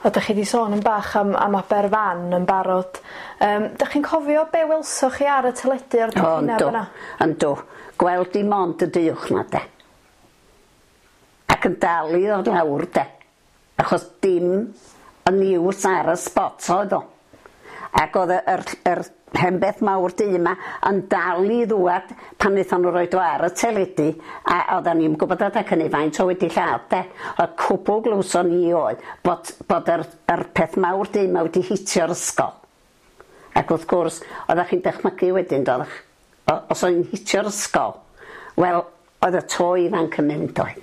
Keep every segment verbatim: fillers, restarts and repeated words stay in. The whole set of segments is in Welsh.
A dych chi wedi sôn yn bach am, am Aberfan yn barod. Um, dych chi'n cofio be welsoch chi ar y teledu o'r O, trychineb yndw, yna? Yndw. Gweld dim ond y düwch 'na de. Ac yn dal i ddod lawr de. Achos dim y news ar y spot oedd o. Ac oedd y- yr, yr hen beth mawr du yma yn dal i ddwad pan wnaethon nhw roid o ar y teledu, a oedden ni'n gwybod adeg hynny faint o wedi lladd de. Y cwbl glywson ni oedd bod, bod yr, yr peth mawr du yma wedi hitio'r ysgol. Ac wrth gwrs, oeddech chi'n dychmygu wedyn, doeddech? O- Os oedd hi'n hitio'r ysgol, wel, oedd y to ifanc yn mynd oedd.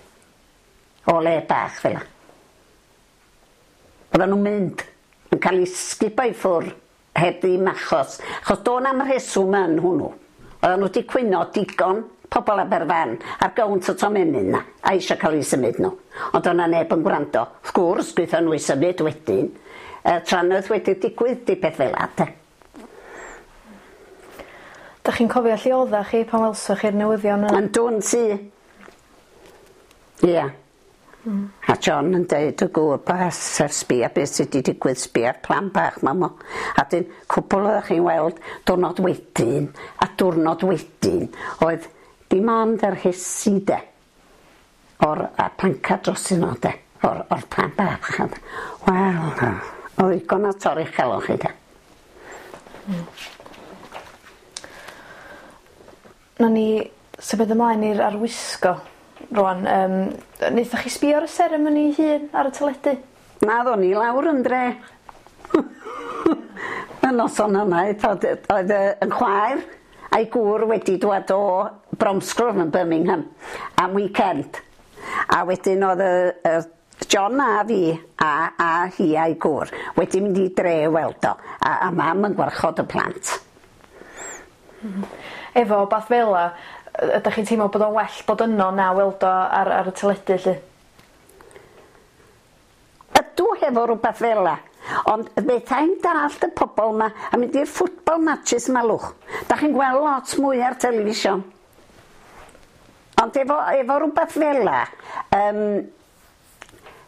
O le bach fel 'a. Oedden nhw'n mynd, yn cael eu sgubo i ffwrdd heb ddim achos. Achos do' na'm rheswm yn hwnnw. Oedden nhw wedi cwyno digon pobl Aberfan ar gownt y tomenyn 'na, a eisiau cael eu symud nhw. Ond o'na neb yn gwrando. Wrth gwrs, gwnaethon nhw i symud wedyn. Uh, trannoeth wedi digwydd di peth fel 'a, de. Dych chi'n cofio lle oeddech chi pan welsoch chi'r newyddion yna? Yn dwn ti. Ia. A John yn deud y gŵr bas ar sbia beth sydd wedi digwydd, sbia'r plan bach ma mo. A dyn cwbl oeddech chi'n weld diwrnod wedyn a diwrnod wedyn oedd dim ond yr rhesi de o'r a planca dros nhw de o'r, o'r plan bach. Wel, oedd ddigon o torri chalon chi de. Nawn ni symud ymlaen i'r arwisgo rwan. Um, wnaethoch chi sbio ar y seremoni hun ar y teledu? Na, ddo'n i lawr yn dre. Y noson yna, oedd oedd y yn chwaer a'i gŵr wedi dwad o Bromsgrove yn Birmingham am weekend. A wedyn oedd y, y John a fi a, a hi a'i gŵr wedi mynd i dre i weld o. A, a mam yn gwarchod y plant. Efo bath fela, ydych chi'n teimlo bod o'n well bod yno na weld o ar, ar y teledu lly? Ydw hefo rhywbeth fel 'a. Ond fethai'n dallt y pobol 'ma a mynd i'r football matches 'ma lwch. Da chi'n gweld lot mwy ar television. Ond efo, efo rhywbeth fel 'a, um,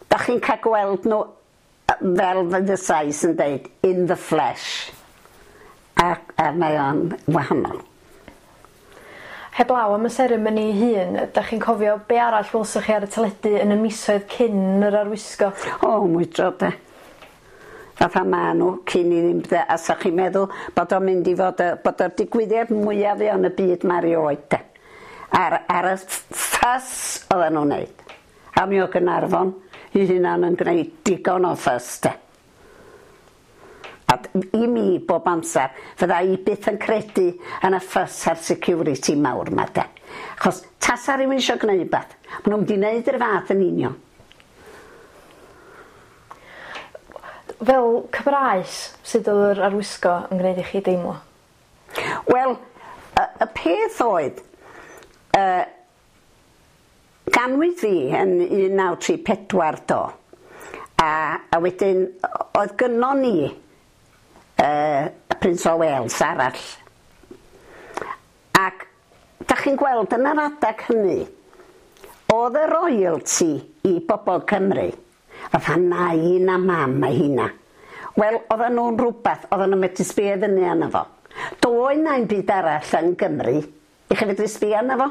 da chi'n cael gweld nhw yy, fel fydd y Sais yn deud, in the flesh. A, a mae o'n wahanol. Heblaw am y seremoni hun, ydych chi'n cofio be arall welsoch chi ar y teledu yn y misoedd cyn yr arwisgo? O, mwydro de. Fatha ma nhw cyn i ddim de, a sa chi'n meddwl bod o'n mynd i fod, y, bod o'r digwyddiad mwyaf yn y byd ma erioed de. Ar, ar y fuss oedden nhw'n neud. A mi o Gaernarfon i hunan yn gwneud digon o fuss de. A d- i mi bob amser, fydda i byth yn credu yn y fuss a'r security mawr ma de. Achos tasa rhywun eisiau gwneud beth, maen nhw'n mynd i wneud yr fath yn union. Fel Cymraes, sut oedd yr arwisgo yn gwneud i chi deimlo? Wel, y, y peth oedd, uh, ganwyd fi yn un naw tri pedwar do, a, a wedyn oedd gynnon ni uh, y Prince o Wales arall. Ac da chi'n gweld yn yr adag hynny, oedd y royalty i bobl Cymru, fatha nain a mam a hynna. Wel, oedden nhw'n rhywbeth, oedden nhw'n medru sbio fyny arno fo. Doedd na'm byd arall yn Gymru i chi fedru sbio arno fo.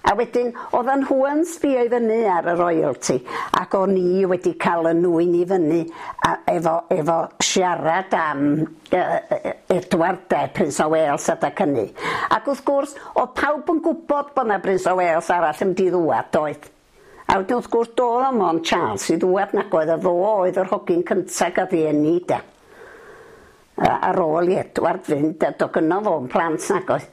A wedyn, oedden nhw yn sbio i fyny ar y royalty, ac o'n i wedi cael y nwyn i fyny a, efo, efo siarad am uh, Edward de, Prince o Wales adag hynny. Ac wrth gwrs, oedd pawb yn gwybod bod 'na Prince o Wales arall yn mynd i ddŵad, doedd? A wedyn wrth gwrs, doedd o'm ond Charles i ddŵad nag oedd, a fo oedd yr hogyn cynta gath ei eni de. A, ar ôl i Edward fynd, a do gynno fo'n plant nag oedd.